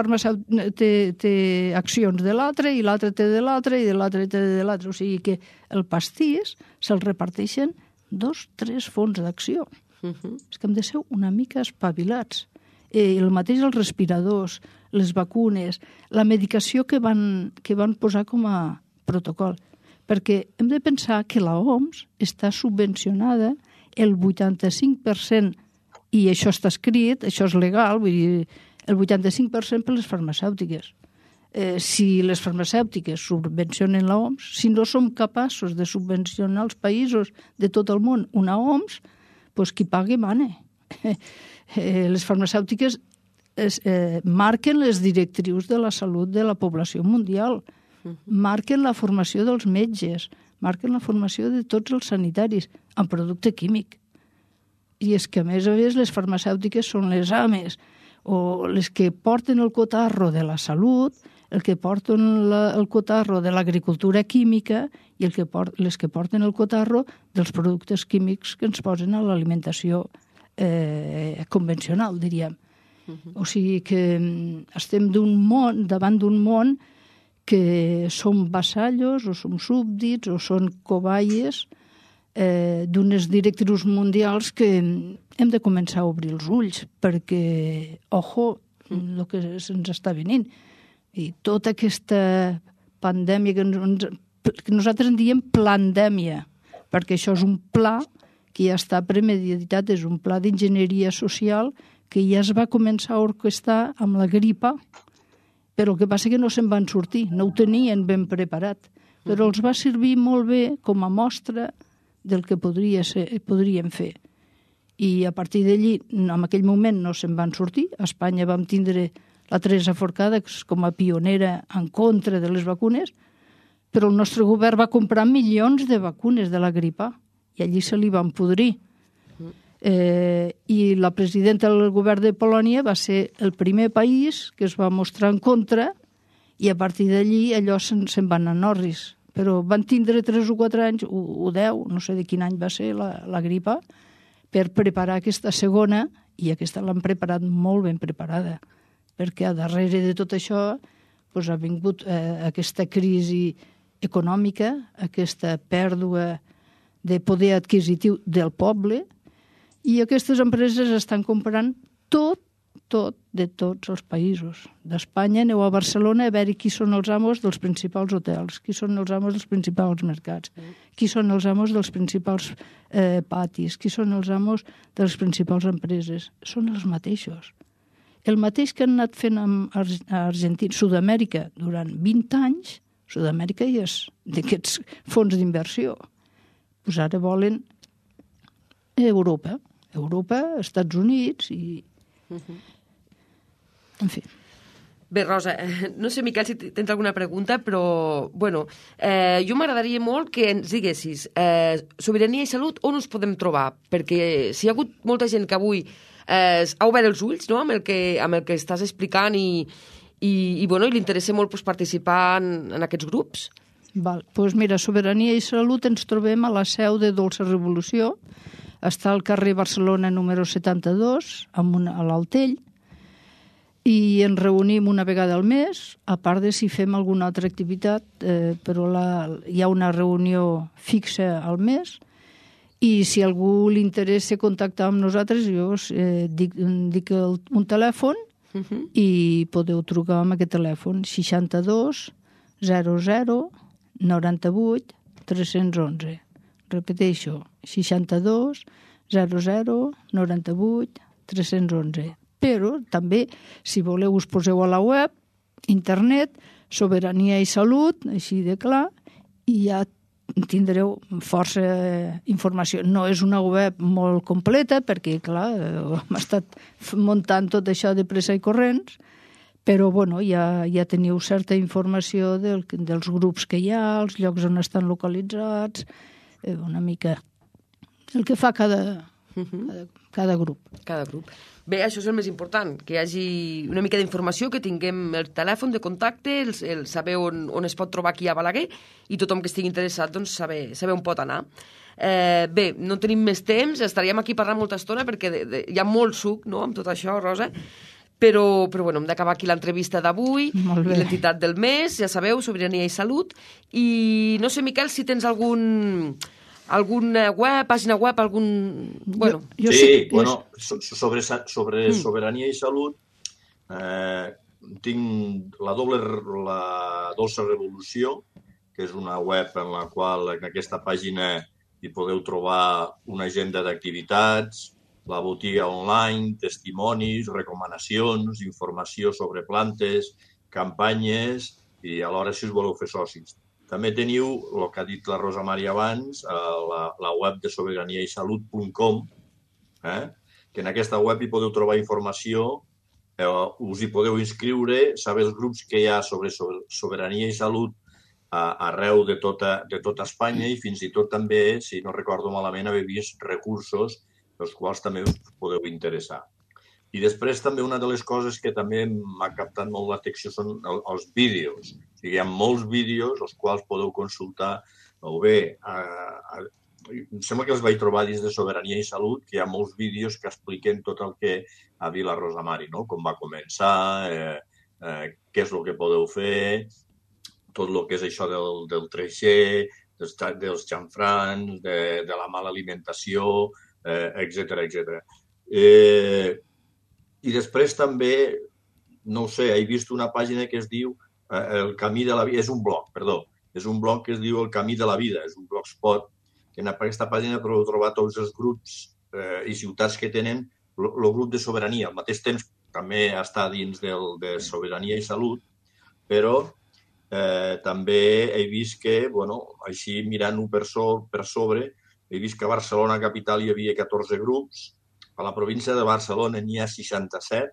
té, té accions de l'altra i l'altra té de l'altra i de l'altra té de l'altra. O sigui que el pastís se'l reparteixen dos, tres fons d'acció. Uh-huh. És que hem de ser una mica espavilats. Eh, el mateix els respiradors, les vacunes, la medicació que van, que van posar com a protocol. Perquè hem de pensar que la O M S està subvencionada el vuitanta-cinc per cent, i això està escrit, això és legal, vull dir, el vuitanta-cinc per cent per les farmacèutiques. Eh, si les farmacèutiques subvencionen la O M S, si no som capaços de subvencionar els països de tot el món una O M S, doncs qui pagui mane. Eh, les farmacèutiques es, eh, marquen les directrius de la salut de la població mundial, marquen la formació dels metges, marquen la formació de tots els sanitaris en producte químic. I és que, a més a més, les farmacèutiques són les ames o les que porten el cotarro de la salut, el que porten la, el cotarro de l'agricultura química i el que port, les que porten el cotarro dels productes químics que ens posen a l'alimentació eh, convencional, diríem. Uh-huh. O sigui que estem d'un món, davant d'un món que som vassallos o som súbdits o són cobayes eh, d'unes directrius mundials que hem de començar a obrir els ulls perquè, ojo, el que se'ns està venint. I tota aquesta pandèmia que, ens, que nosaltres en diem plandèmia, perquè això és un pla que ja està premeditat, és un pla d'enginyeria social que ja es va començar a orquestar amb la gripa, però el que passa que no se'n van sortir, no ho tenien ben preparat, però els va servir molt bé com a mostra del que podria ser, podríem fer. I a partir d'allí, en aquell moment no se'n van sortir, a Espanya vam tindre la Teresa Forcada com a pionera en contra de les vacunes, però el nostre govern va comprar milions de vacunes de la gripa i allí se li van podrir. Eh, I la presidenta del govern de Polònia va ser el primer país que es va mostrar en contra i a partir d'allí allò se'n, se'n van anar orris. Però van tindre tres o quatre anys, o, o deu, no sé de quin any va ser la, la gripa, per preparar aquesta segona, i aquesta l'han preparat molt ben preparada, perquè a darrere de tot això doncs, ha vingut eh, aquesta crisi econòmica, aquesta pèrdua de poder adquisitiu del poble, i aquestes empreses estan comprant tot, tot, de tots els països. D'Espanya, aneu a Barcelona a veure qui són els amos dels principals hotels, qui són els amos dels principals mercats, qui són els amos dels principals eh, patis, qui són els amos de les principals empreses. Són els mateixos. El mateix que han anat fent amb Argentina, Sud-amèrica, durant vint anys, Sud-amèrica hi és d'aquests fons d'inversió. Pues ara volen Europa, Europa, Estats Units i... Uh-huh. En fi. Bé, Rosa, no sé, Miquel, si tens alguna pregunta, però, bueno, eh, jo m'agradaria molt que ens diguessis eh, sobirania i salut, on us podem trobar? Perquè si hi ha hagut molta gent que avui eh, ha obert els ulls, no?, amb el que, amb el que estàs explicant i, i, i, bueno, i li interessa molt pues, participar en, en aquests grups. Val. Pues mira, Sobirania i Salut ens trobem a la seu de Dolça Revolució, està al carrer Barcelona número setanta-dos, amb una, a l'Altell, i ens reunim una vegada al mes, a part de si fem alguna altra activitat, eh, però la, hi ha una reunió fixa al mes, i si a algú li interessa contactar amb nosaltres, jo eh, dic, dic el, un telèfon, uh-huh. i podeu trucar amb aquest telèfon, seixanta-dos zero zero noranta-vuit tres-cents onze. Repeteixo, seixanta-dos zero zero noranta-vuit tres-cents onze. Però també, si voleu, us poseu a la web, internet, Sobirania i Salut, així de clar, i ja tindreu força informació. No és una web molt completa, perquè, clar, hem estat muntant tot això de pressa i corrents, però, bueno, ja, ja teniu certa informació del, dels grups que hi ha, els llocs on estan localitzats, una mica el que fa cada, cada, cada grup. Cada grup. Bé, això és el més important, que hi hagi una mica d'informació, que tinguem el telèfon de contacte, el, el saber on, on es pot trobar aquí a Balaguer, i tothom que estigui interessat, doncs, saber, saber on pot anar. Eh, bé, no tenim més temps, estaríem aquí parlant molta estona, perquè de, de, hi ha molt suc, no?, amb tot això, Rosa, però, però bueno, hem d'acabar aquí l'entrevista d'avui, l'entitat del mes, ja sabeu, Sobirania i Salut, i no sé, Miquel, si tens algun... alguna web, pàgina web, algun... Bueno. Jo, jo sí, sé, bueno, sobre, sobre mm. Sobirania i Salut eh, tinc la doble, la Dolça Revolució, que és una web en la qual en aquesta pàgina hi podeu trobar una agenda d'activitats, la botiga online, testimonis, recomanacions, informació sobre plantes, campanyes i alhora si us voleu fer socis. També teniu, el que ha dit la Rosa Maria abans, la, la web de sobirania i salut punt com, eh? que en aquesta web hi podeu trobar informació, eh, us hi podeu inscriure, saber els grups que hi ha sobre sobirania i salut a, arreu de tota, de tota Espanya i fins i tot també, si no recordo malament, haver vist recursos els quals també us podeu interessar. I després també una de les coses que també m'ha captat molt l'atenció són els vídeos. O sigui, hi ha molts vídeos els quals podeu consultar o bé, a, a, em sembla que els vaig trobar dins de Sobirania i Salut, que hi ha molts vídeos que expliquen tot el que ha dit la Rosa Mari, no? Com va començar, eh, eh, què és el que podeu fer, tot el que és això del, del treixer, dels, dels xamfrans, de, de la mala alimentació, eh, etcètera, etcètera. Eh, I després també, no ho sé, he vist una pàgina que es diu eh, El camí de la vida, és un blog, perdó, és un blog que es diu El camí de la vida, és un blogspot, que en aquesta pàgina podeu trobar tots els grups eh, i ciutats que tenen el grup de sobirania. Al mateix temps també està dins del, de Sobirania i Salut, però eh, també he vist que, bueno, així mirant-ho per, so, per sobre, he vist que a Barcelona capital hi havia catorze grups, a la província de Barcelona n'hi ha seixanta-set,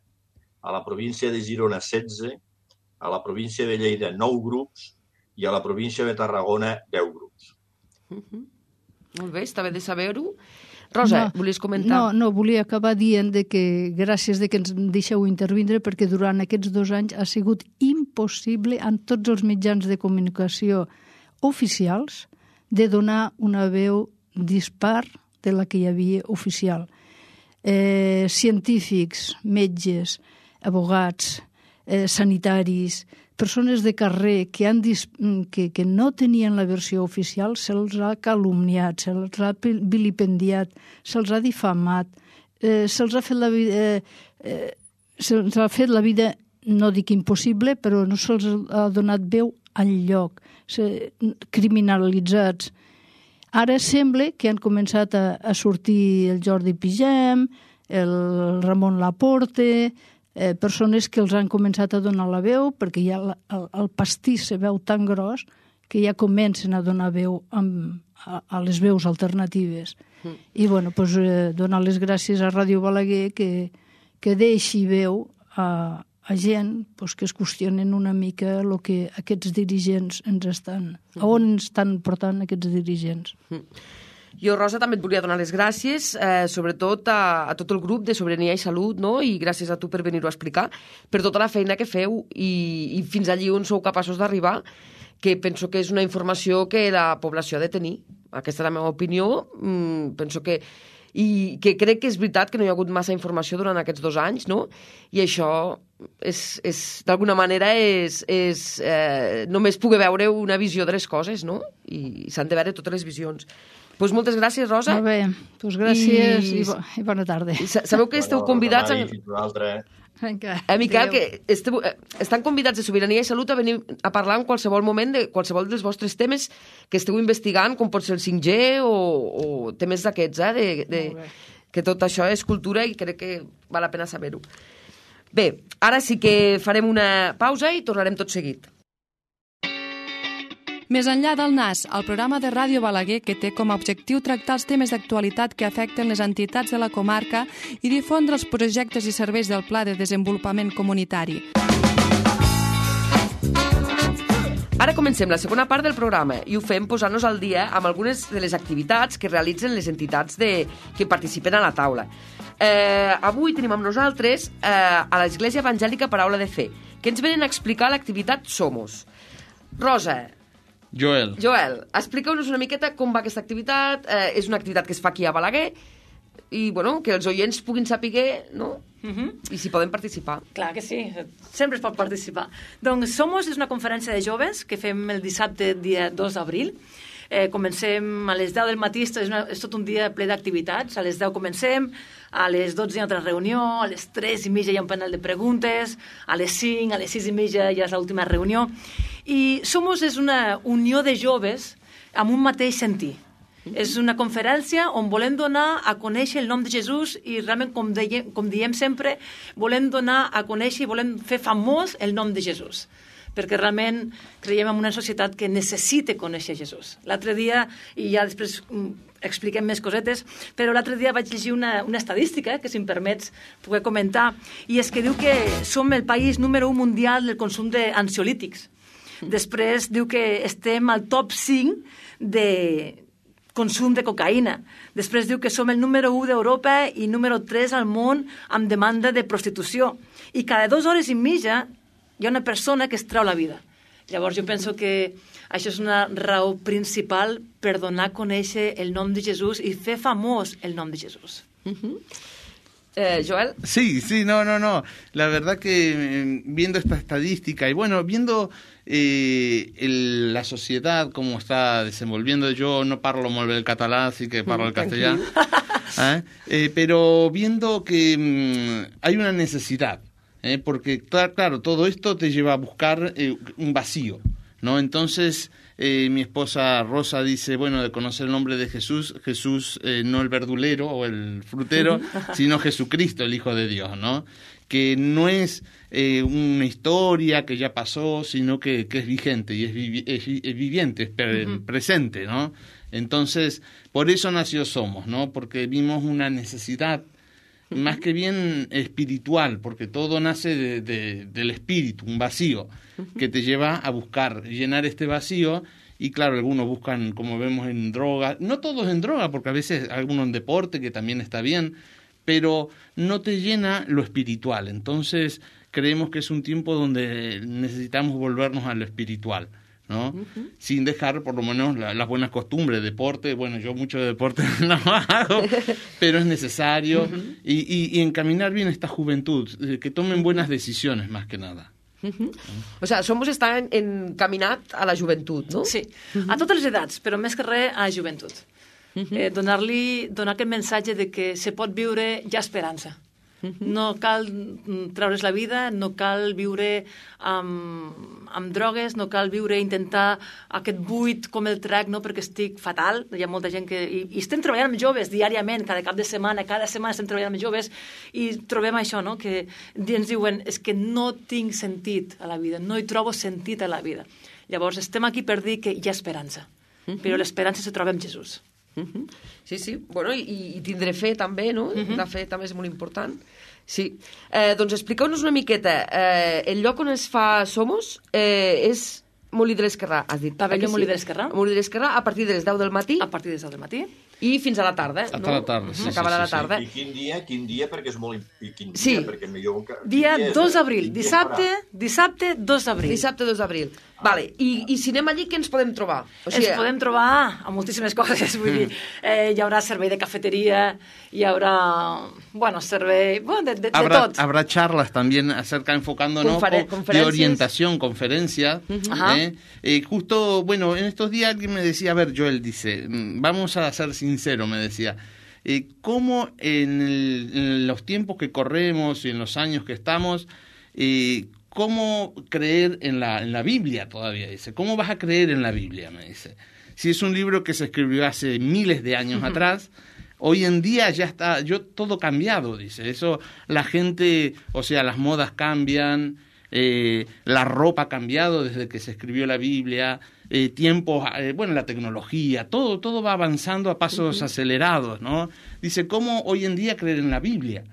a la província de Girona setze, a la província de Lleida nou grups i a la província de Tarragona deu grups. Uh-huh. Molt bé, està bé de saber-ho. Rosa, no, volies comentar? No, no, volia acabar dient de que gràcies de que ens deixeu intervindre perquè durant aquests dos anys ha sigut impossible en tots els mitjans de comunicació oficials de donar una veu dispar de la que hi havia oficial. Eh, científics, metges, abogats, eh, sanitaris, persones de carrer que, han dis que, que no tenien la versió oficial, se'ls ha calumniat, se'ls ha vilipendiat, se'ls ha difamat, eh, se'ls ha fet la vida, eh, eh, se'ls ha fet la vida, no dic impossible, però no se'ls ha donat veu enlloc, criminalitzats. Ara sembla que han començat a, a sortir el Jordi Pigem, el Ramon Laporte, eh, persones que els han començat a donar la veu, perquè ja el, el, el pastís se veu tan gros que ja comencen a donar veu amb, a, a les veus alternatives. Mm. I, bueno, pues, eh, donar les gràcies a Ràdio Balaguer que, que deixi veu a, a gent pues, que es qüestionen una mica el que aquests dirigents ens estan... Mm. A on estan portant aquests dirigents. Mm. Jo, Rosa, també et volia donar les gràcies, eh, sobretot a, a tot el grup de Sobirania i Salut, no? I gràcies a tu per venir-ho a explicar, per tota la feina que feu i, i fins allí on sou capaços d'arribar, que penso que és una informació que la població ha de tenir. Aquesta és la meva opinió. Mm, penso que... I que crec que és veritat que no hi ha hagut massa informació durant aquests dos anys, no? I això, és, és d'alguna manera, és, és eh, només poder veure una visió de les coses, no? I s'han de veure totes les visions. Doncs pues moltes gràcies, Rosa. Molt bé, doncs gràcies i, i, bo, i bona tarda. I sabeu que esteu convidats... A... Vinga, eh, Miquel, que esteu, estan convidats de Sobirania i Salut a venir a parlar en qualsevol moment de qualsevol dels vostres temes que esteu investigant, com pot ser el cinc G o, o temes d'aquests, eh? De, de, que tot això és cultura i crec que val la pena saber-ho. Bé, ara sí que farem una pausa i tornarem tot seguit. Més enllà del N A S, el programa de Ràdio Balaguer que té com a objectiu tractar els temes d'actualitat que afecten les entitats de la comarca i difondre els projectes i serveis del Pla de Desenvolupament Comunitari. Ara comencem la segona part del programa i ho fem posant-nos al dia amb algunes de les activitats que realitzen les entitats de, que participen a la taula. Eh, avui tenim amb nosaltres eh, a l'Església Evangèlica Paraula de Fe, que ens venen a explicar l'activitat Somos. Rosa, Joel. Joel, expliqueu-nos una miqueta com va aquesta activitat. Eh, és una activitat que es fa aquí a Balaguer i bueno, que els oients puguin saber, no? Uh-huh. I si poden participar. Clar que sí, sempre es pot participar. Doncs Somos és una conferència de joves que fem el dissabte, dia dos d'abril. Eh, comencem a les deu del matí, és, una, és tot un dia ple d'activitats. A les deu comencem, a les dotze hi ha altra reunió, a les tres i mitja hi ha un panel de preguntes, a les cinc, a les sis i mitja ja és l'última reunió. I Somos és una unió de joves amb un mateix sentir. És una conferència on volem donar a conèixer el nom de Jesús i realment, com, deiem, com diem sempre, volem donar a conèixer i volem fer famós el nom de Jesús. Perquè realment creiem en una societat que necessita conèixer Jesús. L'altre dia, i ja després expliquem més cosetes, però l'altre dia vaig llegir una, una estadística, que si em permets poder comentar, i és que diu que som el país número un mundial del consum d'ansiolítics. Després diu que estem al top cinc de consum de cocaïna. Després diu que som el número u d'Europa i número tres al món amb demanda de prostitució. I cada dues hores i mitja hi ha una persona que es treu la vida. Llavors jo penso que això és una raó principal per donar a conèixer el nom de Jesús i fer famós el nom de Jesús. Uh-huh. Eh, Joel. Sí, sí, no, no, no. La verdad que viendo esta estadística y bueno, viendo eh, el, la sociedad cómo está desenvolviendo, yo no parlo molt bé el català, así que parlo el castellà, ¿eh? Eh, pero viendo que mmm, hay una necesidad, ¿eh? Porque claro, todo esto te lleva a buscar eh, un vacío, ¿no? Entonces Eh, mi esposa Rosa dice, bueno, de conocer el nombre de Jesús, Jesús eh, no el verdulero o el frutero, sino Jesucristo, el Hijo de Dios, ¿no? Que no es eh, una historia que ya pasó, sino que, que es vigente y es, vivi es, es viviente, es pre uh-huh. presente, ¿no? Entonces, por eso nació Somos, ¿no? Porque vimos una necesidad uh-huh. más que bien espiritual, porque todo nace de, de, del espíritu, un vacío que te lleva a buscar llenar este vacío. Y claro, algunos buscan, como vemos, en droga, no todos en droga, porque a veces algunos en deporte, que también está bien, pero no te llena lo espiritual. Entonces creemos que es un tiempo donde necesitamos volvernos a lo espiritual, ¿no? Uh-huh. Sin dejar por lo menos la, las buenas costumbres, deporte. Bueno, yo mucho de deporte no hago, pero es necesario. Uh-huh. y, y, y encaminar bien esta juventud, que tomen buenas decisiones más que nada. Uh-huh. O sigui, Somos està encaminat a la joventut, no? Sí, uh-huh. a totes les edats, però més que res a la joventut. Uh-huh. Eh, donar-li, donar aquest missatge de que se pot viure ja esperança. Uh-huh. No cal treure's la vida, no cal viure amb, amb drogues, no cal viure, intentar aquest buit com el trec, no? Perquè estic fatal. Hi ha molta gent que... I, i estem treballant amb joves diàriament, cada cap de setmana, cada setmana estem treballant amb joves i trobem això, no? Que ens diuen, és que no tinc sentit a la vida, no hi trobo sentit a la vida. Llavors estem aquí per dir que hi ha esperança, uh-huh. però l'esperança se troba amb Jesús. Uh-huh. Sí, sí. Bueno, i, i tindré fe també, no? Uh-huh. La fe també és molt important. Sí. Eh, doncs expliqueu-nos una miqueta. Eh, el lloc on es fa Somos eh, és Molí de l'Esquerrà, has dit. Pavelló Molí de l'Esquerrà. Molí de l'Esquerrà a partir de les deu del matí. A partir de les deu del matí. I fins a la tarda, Hasta no? la tarda, sí, Acabarà sí, sí, la tarda. I quin dia, quin dia, perquè és molt... I quin dia, sí. perquè millor... Dia dos d'abril, dissabte, dissabte dos d'abril. Dissabte dos d'abril. Ah. Vale. I, I si anem allí, què ens podem trobar? O sigui, ens podem trobar a moltíssimes coses, vull dir, eh, hi haurà servei de cafeteria, hi haurà, bueno, servei, bueno, de, de, habrá, de tot. Habrá charlas también acerca, enfocándonos Conferen con, de orientación, conferencias. Uh-huh. eh, eh, justo, bueno, en estos días alguien me decía, a ver, Joel, dice, vamos a ser sinceros, me decía, Eh, cómo en, el, en los tiempos que corremos y en los años que estamos, eh, cómo creer en la, en la Biblia todavía, dice. ¿Cómo vas a creer en la Biblia? Me dice. Si es un libro que se escribió hace miles de años uh-huh. atrás, hoy en día ya está yo todo cambiado, dice. Eso, la gente, o sea, las modas cambian, eh, la ropa ha cambiado desde que se escribió la Biblia, eh, tiempos, eh, bueno, la tecnología, todo, todo va avanzando a pasos uh-huh. acelerados, ¿no? Dice, ¿cómo hoy en día creer en la Biblia?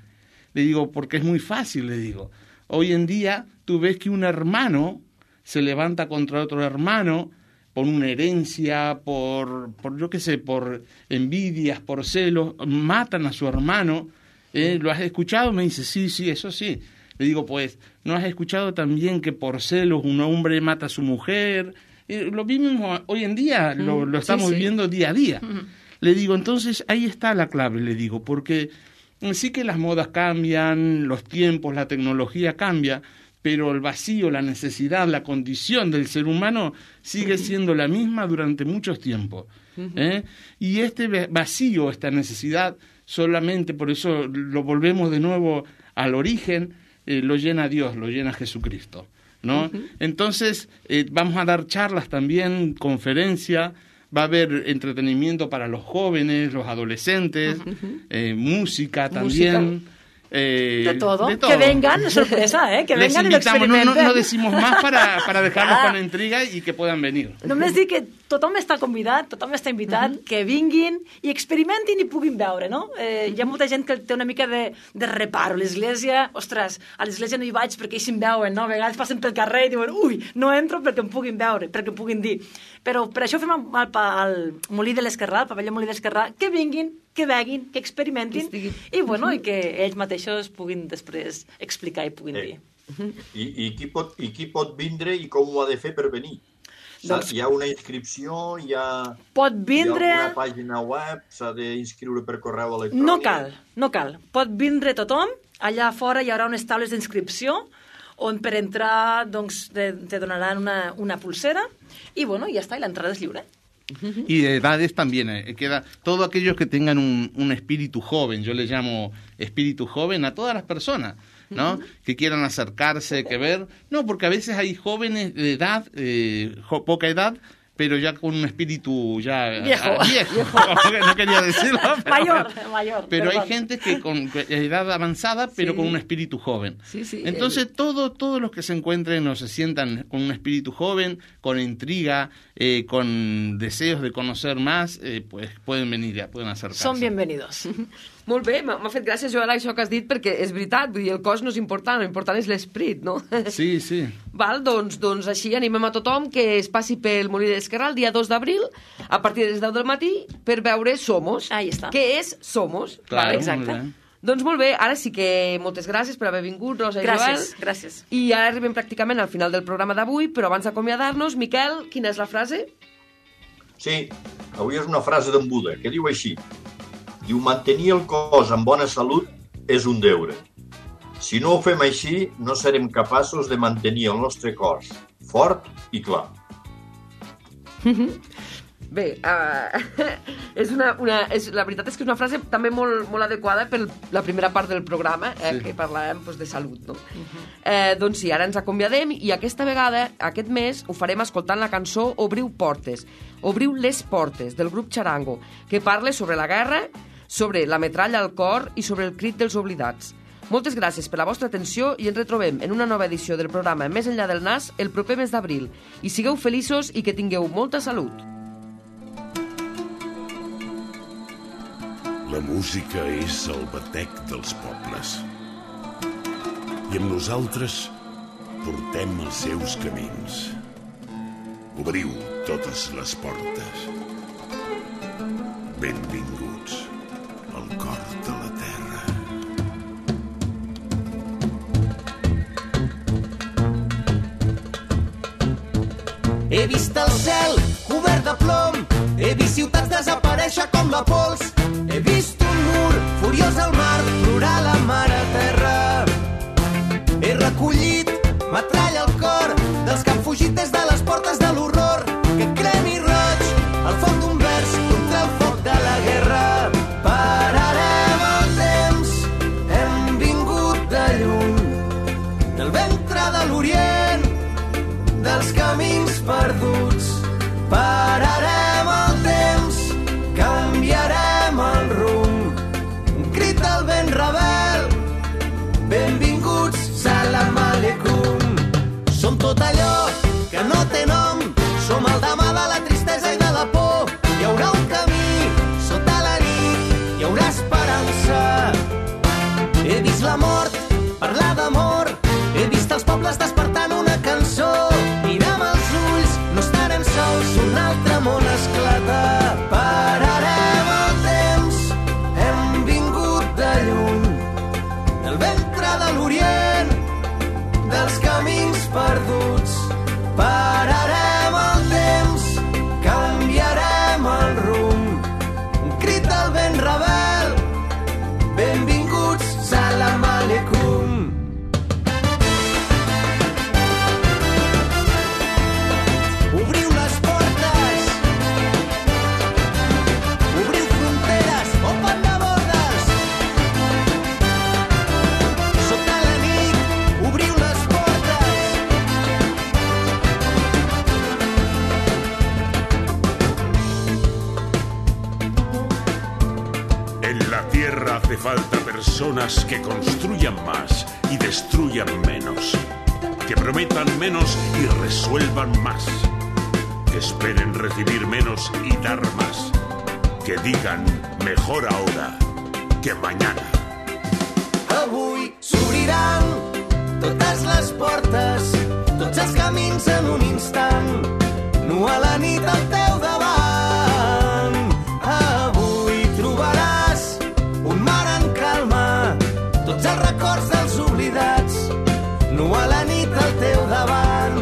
Le digo, porque es muy fácil, le digo. Hoy en día tú ves que un hermano se levanta contra otro hermano por una herencia, por, por yo qué sé, por envidias, por celos, matan a su hermano. ¿Eh? ¿Lo has escuchado? Me dice, sí, sí, eso sí. Le digo, pues, ¿no has escuchado también que por celos un hombre mata a su mujer? Eh, lo mismo hoy en día, mm, lo, lo estamos sí, sí. viviendo día a día. Mm. Le digo, entonces, ahí está la clave, le digo, porque sí que las modas cambian, los tiempos, la tecnología cambia, pero el vacío, la necesidad, la condición del ser humano sigue siendo la misma durante muchos tiempos. ¿eh? Y este vacío, esta necesidad, solamente por eso lo volvemos de nuevo al origen, eh, lo llena Dios, lo llena Jesucristo, ¿no? Uh-huh. Entonces, eh, vamos a dar charlas también, conferencias, va a haber entretenimiento para los jóvenes, los adolescentes, uh-huh. eh, música también. ¿Música? Eh, de, todo. de todo. Que vengan, sorpresa, ¿eh? Que Les vengan i l'experimenten. No, no, no decimos más para, para dejarlos ah. con intriga i que puedan venir. Només dir que tothom està convidat, tothom està invitat, uh-huh. que vinguin i experimentin i puguin veure, no? Eh, hi ha molta gent que té una mica de, de reparo. L'església, ostres, a l'església no hi vaig perquè ells em veuen, no? A vegades passen pel carrer i diuen, ui, no entro perquè em puguin veure, perquè em puguin dir. Però per això fem al, al Molí de l'Esquerrà, al pavelló Molí de l'Esquerrà, que vinguin, que veguin, que experimentin i, bueno, i que ells mateixos puguin després explicar i puguin eh, dir. I, i, qui pot, I qui pot vindre i com ho ha de fer per venir? Doncs, hi ha una inscripció? Hi ha, pot vindre... hi ha alguna pàgina web? S'ha d'inscriure per correu electrònic? No cal, no cal. Pot vindre tothom. Allà fora hi haurà unes taules d'inscripció on per entrar doncs, te, te donaran una, una pulsera i, bueno, ja està, i l'entrada és lliure. Y de edades también, eh, queda todos aquellos que tengan un, un espíritu joven, yo le llamo espíritu joven a todas las personas, ¿no? Uh-huh. Que quieran acercarse, que ver, no, porque a veces hay jóvenes de edad, eh, jo, poca edad, pero ya con un espíritu ya viejo, a, viejo. viejo. No quería decirlo, pero, mayor, mayor. Pero perdón. Hay gente que con edad avanzada, pero sí. con un espíritu joven. Sí, sí, Entonces el... todo, todos los que se encuentren o se sientan con un espíritu joven, con intriga, eh, con deseos de conocer más, eh, pues pueden venir, ya pueden acercarse. Son bienvenidos. Molt bé, m'ha fet gràcia, Joel, això que has dit, perquè és veritat, vull dir, el cos no és important, l'important és l'esperit, no? Sí, sí. Val, doncs, doncs així animem a tothom que es passi pel Molí de l'Esquerrà el dia dos d'abril, a partir de les deu del matí, per veure Somos. Ahí està. Què és Somos. Claro, exacte. Doncs molt bé, ara sí que moltes gràcies per haver vingut, Rosa i gràcies, Joel. Gràcies, I ara arribem pràcticament al final del programa d'avui, però abans d'acomiadar-nos, Miquel, quina és la frase? Sí, avui és una frase d'en Buda, que diu així. Diu, mantenir el cos en bona salut és un deure. Si no ho fem així, no serem capaços de mantenir el nostre cos fort i clar. Bé, uh, és una, una, és, la veritat és que és una frase també molt, molt adequada per la primera part del programa, eh, sí. que parlàvem pues, de salut. No? Uh-huh. Eh, doncs sí, ara ens acomiadem i aquesta vegada, aquest mes, ho farem escoltant la cançó Obriu Portes, Obriu les Portes, del grup Charango, que parla sobre la guerra, sobre la metralla al cor i sobre el crit dels oblidats. Moltes gràcies per la vostra atenció i ens retrobem en una nova edició del programa Més enllà del nas el proper mes d'abril. I sigueu feliços i que tingueu molta salut. La música és el batec dels pobles. I amb nosaltres portem els seus camins. Obriu totes les portes. Benvinguts al cor de la terra. He vist el cel cobert de plom, he vist ciutats desaparèixer com la pols, he vist un mur furiós al mar plorar la mare terra. He recollit metralla al cor dels que han fugit des de les portes de l'horror, que cremi roig al foc d'un vers contra el foc de la guerra. Pararem el temps, hem vingut de lluny, del ventre de l'Orient, dels camins perduts. Pararem el temps, canviarem el rumb, un crit del vent rebel, benvinguts, salam aleikum. Som tot allò que no té nom, som el demà de la tristesa i de la por. Hi haurà un camí sota la nit, hi haurà esperança. He vist la mort parlar d'amor, he vist els pobles despertant una cançó i dels camins perduts. Pararem el temps, canviarem el rumb. Un crit del vent rebel, benvinguts, salam aleikum. Obriu les portes, obriu fronteres, open the borders. Sota la nit, obriu les portes. En la tierra hace falta personas que construyan más y destruyan menos, que prometan menos y resuelvan más, que esperen recibir menos y dar más, que digan mejor ahora que mañana. Avui s'obriran totes les portes, tots els camins en un instant, nu a la nit al teu davant. Avui trobaràs un mar en calma, tots els records dels oblidats, nu a la nit al teu davant.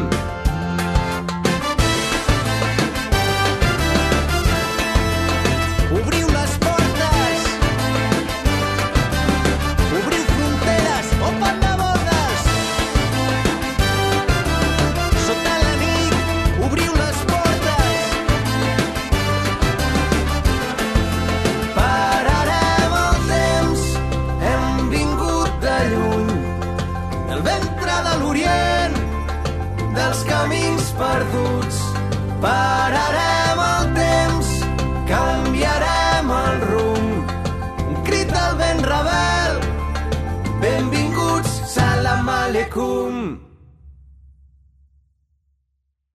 Obriu les portes, obriu fronteres, open the borders. Sota la nit, obriu les portes. Pararem el temps, hem vingut de lluny, del ventre de l'Orient, dels camins perduts. Pararem